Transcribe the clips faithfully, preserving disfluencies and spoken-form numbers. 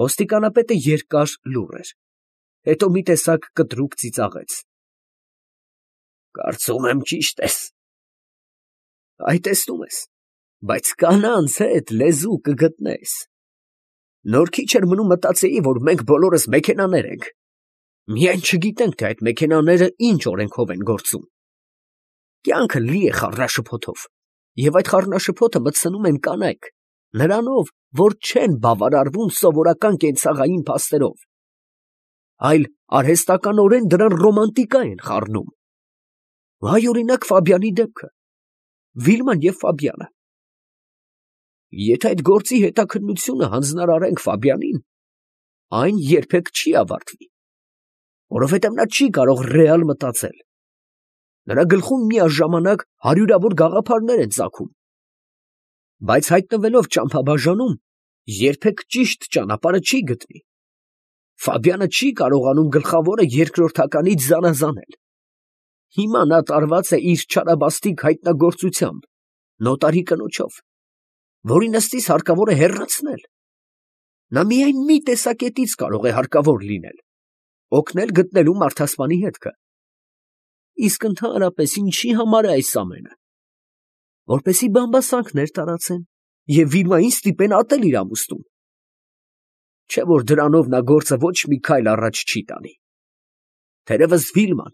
Ոստիկանապետը երկար լուռ էր, հետո մի տեսակ կտրուկ ծիծաղեց։ ֊ Կարծում եմ ճիշտ ես։ ֊ Այ տեսնում ես, բայց կանանց հետ լեզու կգտնես։ Նոր քիչ էր մնում մտածեի, որ մենք բոլորս մեքենաներ ենք, միայն չգիտենք, թե այդ մեքենաները ինչ օրենքով են գործում։ Կյանքը լի է խառնաշփոթով, և այդ խառնաշփոթը մտցնում են կանայք, նրանով, որ չեն բավարարվում սովորական կենցաղային փաստերով, այլ արհեստականորեն դրան ռոմանտիկա են խառնում։ Այ օրինակ Ֆաբյանի դեպքը, Վիլման և Ֆաբյանը։ Եթե այդ գործի հետաքննությունը հանձնարարենք Ֆաբյանին, այն երբեք չի ավարտվի, որովհետև նա չի կարող ռեալ մտածել։ Նրա գլխում միաժամանակ հարյուրավոր գաղափարներ են ծագում, բայց հայտնվելով ճամփաբաժանում, երբեք ճիշտ ճանապարհը չի գտնի։ Ֆաբյանը չի կարողանում գլխավորը երկրորդականից զանազանել։ Հիմա նա տարված է իր չարաբաստիկ հայտնագործությամբ, նոտարի կնոջով, որին ըստիս հարկավոր է հեռացնել։ Նա միայն մի տեսակետից կարող է հարկավոր լինել, օգնել գտնելու մարդասպանի հետքը։ Իսկ ընդհանրապես ինչի համար է այս ամենը։ Որպեսզի բամբասանքներ տարածեն և Վիլմային ստիպեն ատել իր ամուսնուն։ Չէ՞ որ դրանով նա գործը ոչ մի քայլ առաջ չի տանի։ Թերևս Վիլման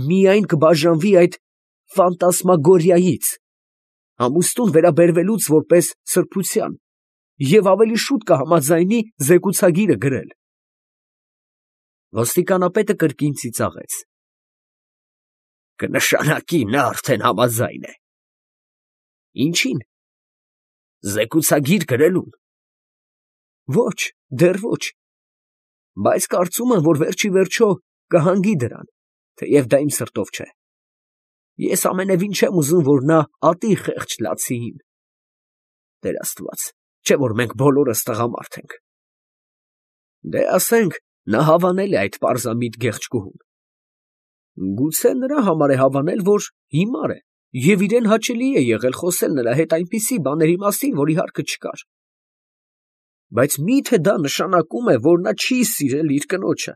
միայն կբաժանվի այդ ֆանտասմագորիայից, ամուսնուն վերաբերվելուց որպես սրբության, և ավելի շուտ կհամաձայնի զեկուցագիրը գրել։ Ոստիկանապետը կրկին ծիծաղեց։ Կնշանակի նա արդեն համաձայն է։ Ինչի՞ն։ Զեկուցագիր գրելուն։ Ոչ, դեռ ոչ, բայց կարծում եմ, որ վերջիվերջո կհանգի դրան, թեև դա իմ սրտով չէ։ Ես ամենևին չեմ ուզում, որ նա ատի խեղճ Լացիին։ Տեր Աստված, չէ՞ որ մենք բոլորս տղամարդ ենք։ Դե ասենք, նա հավանել է այդ պարզամիտ գեղեցկուհուն։ Գուցե նրա համար է հավանել, որ հիմար է, և իրան հաճելի է եղել խոսել նրա հետ այնպիսի բաների մասին, որի հարկը չկար։ Բայց մի՞թե դա նշանակում է, որ նա չի սիրել իր կնոջը։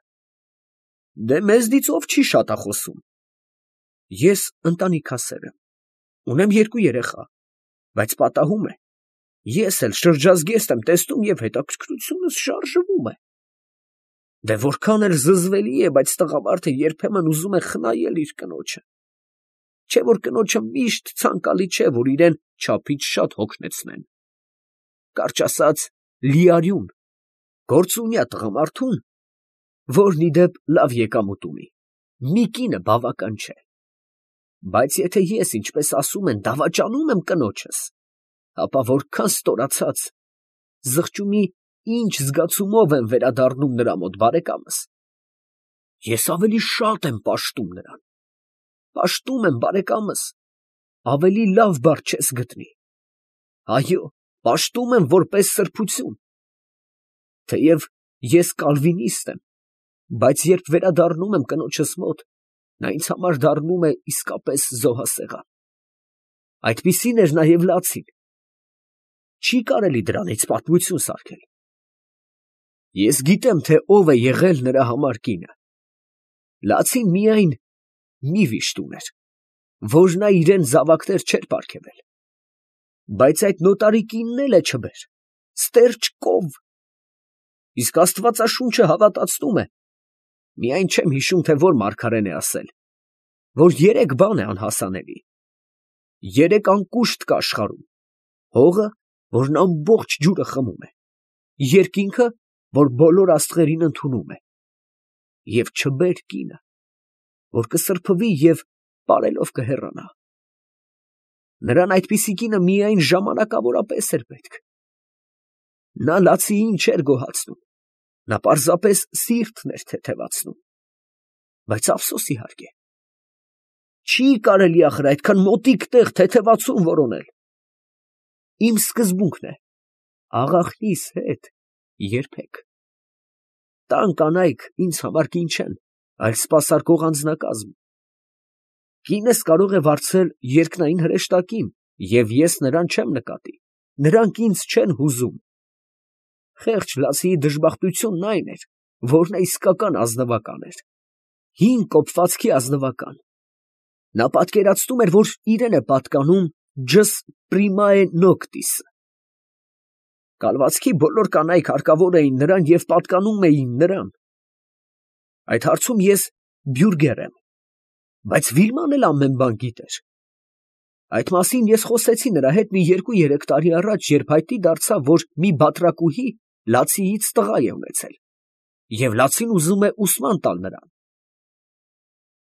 Դե մեզնից ով չի շատախոսում։ Ես ընտանիքասեր եմ, ունեմ երկու երեխա, բայց պատահում է, ես էլ շրջազգեստ եմ տեսնում և հետաքրքրությունս շարժվում է։ Դե որքան էլ զզվելի է, բայց տղամարդը երբեմն ուզում է խնայել իր կնոջը։ Չէ՞ որ կնոջը միշտ ցանկալի չէ, որ իրան չափից շատ հոգնեցնեն։ Կարճ ասած, լիարյուն, գործունյա տղամարդուն, որն ի դեպ լավ եկամուտ ունի, մի կինը բավական չէ։ Բայց եթե ես, ինչպես ասում են, դավաճանում եմ կնոջս, ապա որքան ստորացած, զղջումի ինչ զգացումով եմ վերադառնում նրա մոտ, բարեկամս։ Ես ավելի շատ եմ պաշտում նրան։ Պաշտում եմ, բարեկամս, ավելի լավ բառ չես գտնի։ Այո, պաշտում եմ որպես սրբություն։ Թեև ես կալվինիստ եմ, բայց երբ վերադառնում եմ կնոջս մոտ, նա ինձ համար դառնում է իսկապես զոհասեղան։ Այդպիսին էր նաև Լացին։ Չի կարելի դրանից պատմություն սարքել։ Ես գիտեմ, թե ով է եղել նրա համար կինը։ Լացին միայն մի վիշտ ուներ, որ նա իրան զավակներ չէր պարգևել։ Բայց այդ նոտարի կինն էլ է չբեր, ստերջ կով։ Իսկ Աստվածաշունչը հավատացնում է, միայն չեմ հիշում, թե որ մարգարեն է ասել, որ երեք բան է անհասանելի. երեք անկուշտ կա աշխարհում, հողը, որն ամբողջ ջուրը խմում է, երկինքը, որ բոլոր աստղերին ընդունում է, և չբեր կինը, որ կսրբվի և պարելով կհեռանա։ Նրան այդպիսի կինը միայն ժամանակավորապես էր պետք։ Նա Լացիին չէր գոհացնում, նա պարզապես սիրտն էր թեթևացնում։ Բայց ափսոս իհարկե, չի կարելի ախր այդքան մոտիկ տեղ թեթևացում որոնել։ Իմ սկզբունքն է, աղախնիս հետ երբեք։ Տան կանայք ինձ համար կին չեն, այլ սպասարկող անձնակազմ։ Կինս կարող է վարձել երկնային հրեշտակին, և ես նրան չեմ նկատի, նրանք ինձ չեն հուզում։ Խեղճ Լացիի դժբախտությունն այն էր, որ նա իսկական ազնվական էր, հին կոպվածքի ազնվական. նա պատկերացնում էր, որ իրան է պատկանում ջս պրիմայե նոկտիսը. կալվածքի բոլոր կանայք հարկավոր էին նրան և պատկանում էին նրան. այդ հարցում ես բյուրգեր եմ, բայց Վիլման էլ ամեն բան գիտեր. այդ մասին ես խոսեցի նրա հետ մի երկու֊երեք տարի առաջ, երբ հայտնի դարձավ, որ մի բատրակուհի Լացիից տղա է ունեցել, և Լացին ուզում է ուսման տալ նրան.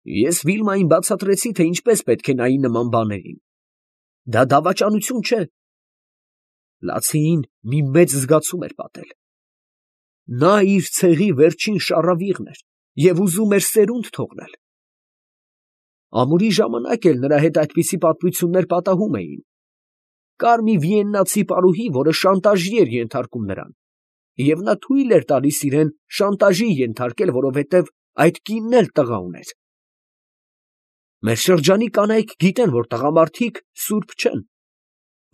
ես Վիլմային բացատրեցի, թե ինչպես պետք է նայի նման բաներին. դա դավաճանություն չէ. Լացիին մի մեծ զգացում էր պատել. նա իր ցեղի վերջին շառավիղն էր և ուզում էր սերունդ թողնել. ամուրի ժամանակ էլ նրա հետ այդպիսի պատմություններ պատահում էին. կար մի վիեննացի պարուհի, որը շանտաժի էր ենթարկում նրան, և նա թույլ էր տալիս իրան շանտաժի ենթարկել, որովհետև այդ կինն էլ տղա ուներ. մեր շրջանի կանայք գիտեն, որ տղամարդիկ սուրբ չեն,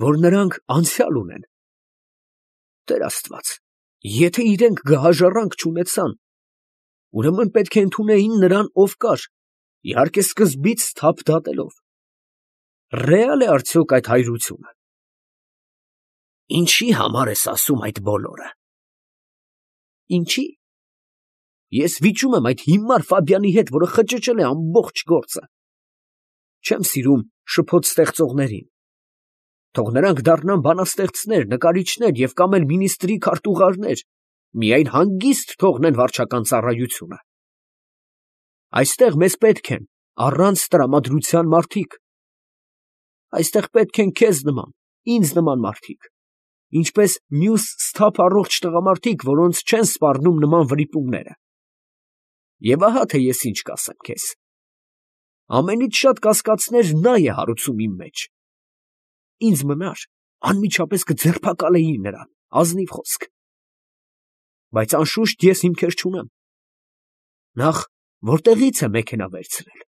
որ նրանք անցյալ ունեն. Տեր Աստված, եթե իրենք գահաժառանգ չունեցան, ուրեմն պետք է ընդունեին նրան, ով կար, իհարկե սկզբից թափ դատելով. ռեալ է արդյոք այդ հայրությունը։ Ինչի համար ես ասում այդ բոլորը։ Ինչի։ Ես վիճում եմ այդ հիմար Ֆաբյանի հետ, որը խճճել է ամբողջ գործը։ Չեմ սիրում շփոթ ստեղծողներին. թող նրանք դառնան բանաստեղծներ, նկարիչներ և կամ էլ մինիստրի քարտուղարներ, միայն հանգիստ թողնեն վարչական ծառայությունը։ Այստեղ մեզ պետք են առանց տրամադրության մարդիկ. այստեղ պետք են քեզ նման, ինձ նման մարդիկ, ինչպես մյուս սթափ առողջ տղամարդիկ, որոնց չեն սպառնում նման վրիպումները։ Եվ ահա թե ես ինչ կասեմ քեզ. ամենից շատ կասկածներ նա է հարուցում իմ մեջ. ինձ մնար, անմիջապես կձերբակալեի նրան, ազնիվ խոսք, բայց անշուշտ ես հիմքեր չունեմ. նախ որտեղից է մեքենա վերցրել,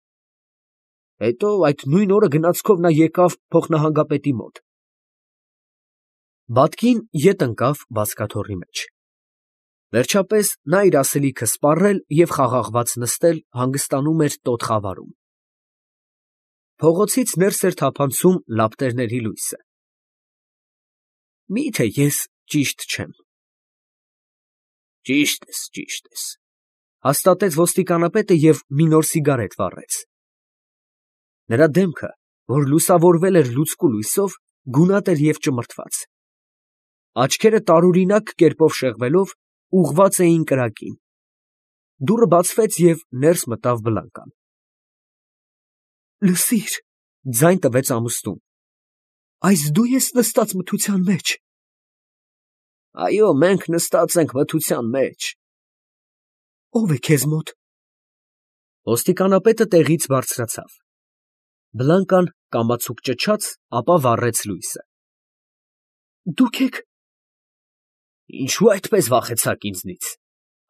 հետո այդ նույն օրը գնացքով նա եկավ փոխնահանգապետի մոտ. Բատկին ետ ընկավ բազկաթոռի մեջ. վերջապես նա իր ասելիքը սպառել և խաղաղված նստել հանգստանում էր տոտ խավարում. Փողոցից ներս էր թափանցում լապտերների լույսը. մի՞թե ես ճիշտ չեմ։ Ճիշտ ես, ճիշտ ես, հաստատեց ոստիկանապետը և մի նոր սիգարետ վառեց. նրա դեմքը, որ լուսավորվել էր լուցկու լույսով, գունատ էր և ճմրթված. աչքերը տարօրինակ կերպով շեղվելով, ուղղված էին կրակին. դուռը բացվեց և ներս մտավ Բլանկան. Լսիր, ձայն տվեց ամուսնուն, այս դու ես նստած մթության մեջ։ Այո, մենք նստած ենք մթության մեջ։ Ո՞վ է քեզ մոտ։ Ոստիկանապետը տեղից բարձրացավ. Բլանկան կամացուկ ճչաց, ապա վառեց լույսը։ Դուք եք։ Ինչու այդպես վախեցաք ինձնից,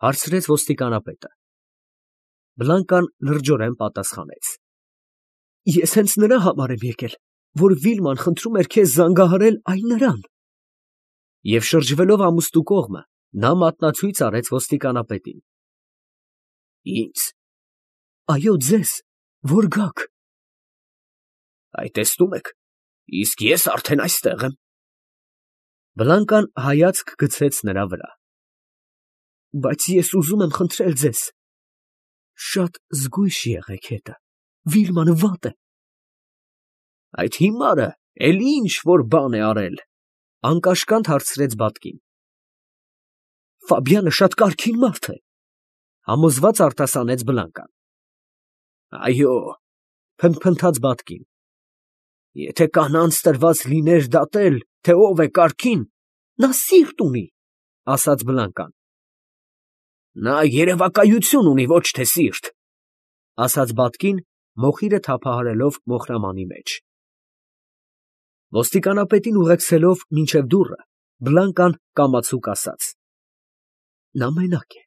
հարցրեց ոստիկանապետը։ Բլանկան լրջորեն պատասխանեց. Ես հենց նրա համար եմ եկել, որ Վիլման խնդրում էր քեզ զանգահարել այն նրան։ Եվ շրջվելով ամուստու կողմը, նա մատնացույց արեց ոստիկանապետին. Ինձ։ Այո, ձեզ, որ գաք։ Այ տեսնում եք, իսկ ես արդեն այստեղ եմ։ Բլանկան հայացք գցեց նրա վրա։ Բայց ես ուզում եմ խնդրել ձեզ, շատ զգույշ եղեք հետը, Վիլմանը վատ է։ Այդ հիմարը էլի ինչ որ բան է արել, անկաշկանդ հարցրեց Բատկին։ Ֆաբյանը շատ կարգին մարդ է, համոզված արտասանեց Բլանկան։ Այո, փնթփնթաց Բատկին։ Եթե կանանց տրված լիներ դատել, թե ով է կարգին, նա սիրտ ունի, ասաց Բլանկան։ Նա երևակայություն ունի, ոչ թե սիրտ, ասաց Բատկին, մոխիրը թափահարելով մոխրամանի մեջ։ Ոստիկանապետին ուղեկցելով մինչև դուռը, Բլանկան կամացուկ ասաց. նա մենակ է,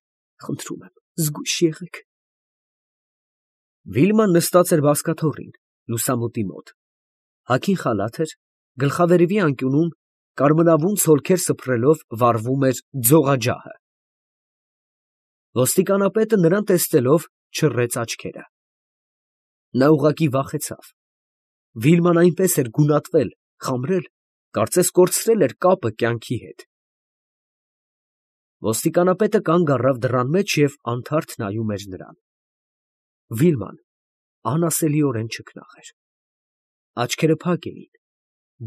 խնդրում եմ, զգույշ եղեք։ Վիլման նստած էր բազկաթոռին, լուսամուտի մոտ, հագին խալաթ էր, գլխավերևի անկյունում կարմրավուն ցոլքեր սփռելով վառվում էր ձողաջահը։ Ոստիկանապետը նրան տեսնելով չռեց աչքերը։ Նա ուղղակի վախեցավ. Վիլման այնպես էր գունատվել, խամրել, կարծես կորցրել էր կապը կյանքի հետ։ Ոստիկանապետը կանգ առավ դռան մեջ և անթարթ նայում էր նրան։ Վիլման անասելիորեն չքնաղ էր։ Աչքերը փակ էին,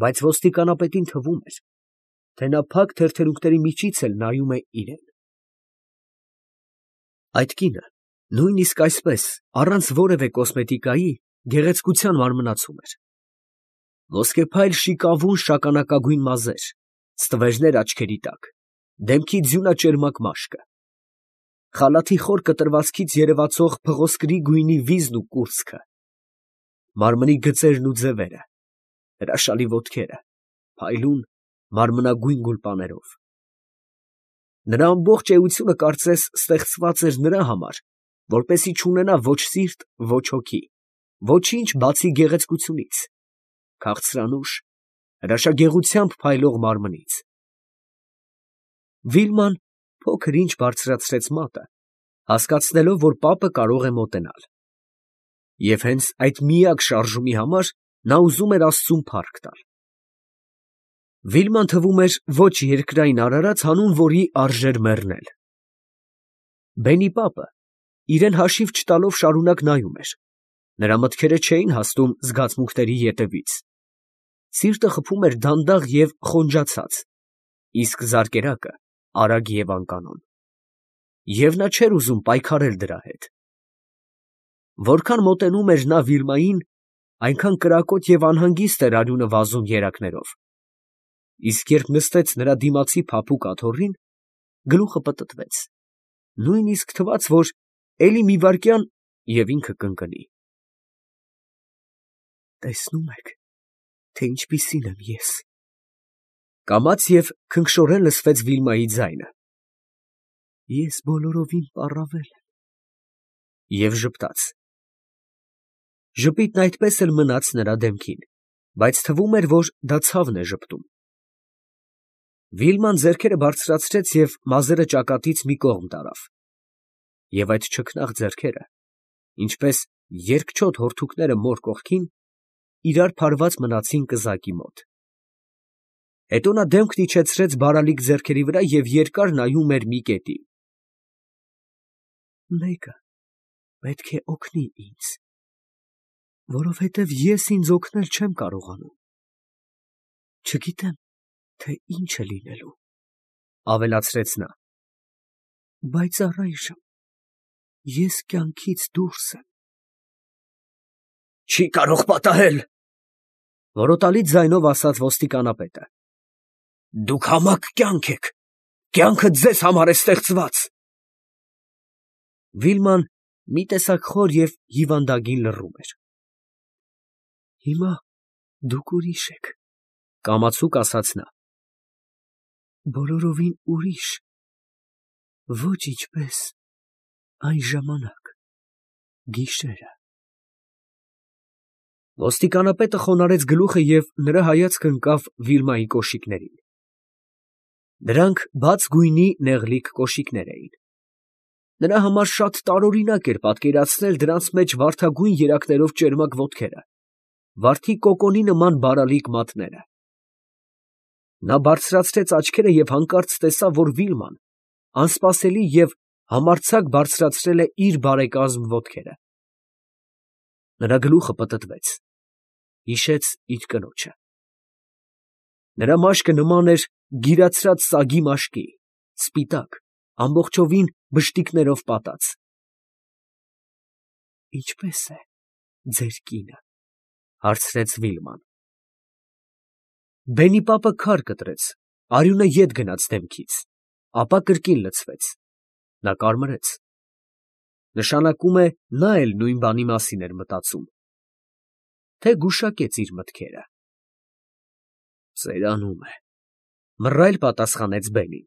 բայց ոստիկանապետին թվում էր, թե նա փակ թերթերունքների միջից էլ նայում է իրան։ Այդ կինը նույնիսկ այսպես, առանց որևէ կոսմետիկայի, գեղեցկության մարմնացում էր։ Ոսկեփայլ շիկավուն շագանակագույն մազեր, ստվերներ աչքերի տակ, դեմքի ձյունաճերմակ մաշկը, խալաթի խոր կտրվածքից երևացող փղոսկրի գույնի վիզն ու կուրծքը, մարմնի գծերն ու ձևերը, հրաշալի ոտքերը, փայլուն, մարմնագույն գուլպաներով։ Նրա ամբողջ էությունը կարծես ստեղծված էր նրա համար, որպեսզի չունենա ոչ սիրտ, ոչ հոգի, ոչինչ բացի գեղեցկությունից, քաղցրանուշ, հրաշագեղությամբ փայլող մարմնից։ Վիլման փոքր ինչ բարձրացրեց մատը, հասկացնելով, որ պապը կարող է մոտենալ։ Եվ հենց այդ միակ շարժումի համար նա ուզում էր աստծուն փառք տալ։ Վիլման թվում էր ոչ երկրային արարած, հանուն որի արժեր մեռնել։ Բենի պապը իրան հաշիվ չտալով շարունակ նայում էր, նրա մտքերը չէին հասնում զգացմունքների ետևից, սիրտը խփում էր դանդաղ և խոնջացած, իսկ զարկերակը արագ և անկանոն, և նա չէր ուզում պայքարել դրա հետ։ Որքան մոտենում էր նա Վիլմային, այնքան կրակոտ և անհանգիստ էր արյունը վազում երակներով, իսկ երբ նստեց նրա դիմացի փափուկ աթոռին, գլուխը պտտվեց, նույնիսկ թվաց, որ էլի մի վայրկյան, և ինքը կընկնի։ Տեսնո՞ւմ եք, թե ինչպիսին եմ ես, ֊ կամաց և քնքշորեն լսվեց Վիլմայի ձայնը։ Ես բոլորովին պառավել եմ։ Եվ ժպտաց։ Ժպիտն այդպես էլ մնաց նրա դեմքին, բայց թվում էր, որ դա ցավն է ժպտում։ Վիլման ձեռքերը բարձրացրեց և մազերը ճակատից մի կողմ տարավ, և այդ չքնաղ ձեռքերը, ինչպես երկչոտ հորթուկները մոր կողքին, իրար փարված մնացին կզակի մոտ։ Հետո նա դեմքն իջեցրեց բարալիկ ձեռքերի վրա և երկար նայում էր մի կետի։ Մեկը պետք է օգնի ինձ, որովհետև ես ինձ օգնել չեմ կարողանում։ Չգիտեմ, թե ինչ է լինելու, ֊ ավելացրեց նա, բայց առայժմ ես կյանքից դուրս եմ։ Չի կարող պատահել, ֊ որոտալի ձայնով ասաց ոստիկանապետը։ Դուք համակ կյանք եք, կյանքը ձեզ համար է ստեղծված։ Վիլման մի տեսակ խոր և հիվանդագին լռում էր։ Հիմա դուք ուրիշ եք, ֊ կամացուկ ասաց նա։ Բոլորովին ուրիշ, ոչ ինչպես այն ժամանակ, գիշերը։ Ոստիկանապետը խոնարհեց գլուխը և նրա հայացքը ընկավ Վիլմայի կոշիկներին։ Դրանք բաց գույնի նեղլիկ կոշիկներ էին։ Նրա համար շատ տարօրինակ էր պատկերացնել դրանց մեջ վարդագույն երակներով ճերմակ ոտքերը, վարդի կոկոնի նման բարալիկ մատները։ Նա բարձրացրեց աչքերը և հանկարծ տեսավ, որ Վիլման անսպասելի և համարձակ բարձրացրել է իր բարեկազմ ոտքերը։ Նրա գլուխը պտտվեց, հիշեց իր կնոջը։ Նրա մաշկը նման էր գիրացրած սագի մաշկի, սպիտակ, ամբողջովին բշտիկներով պատած։ Ինչպե՞ս է ձեր կինը, ֊ հարցրեց Վիլման։ Բենի պապը քար կտրեց, արյունը ետ գնաց դեմքից, ապա կրկին լցվեց, նա կարմրեց։ Նշանակում է, նա էլ նույն բանի մասին էր մտածում, թե գուշակեց իր մտքերը։ Ծերանում է, ֊ մռայլ պատասխանեց Բենին։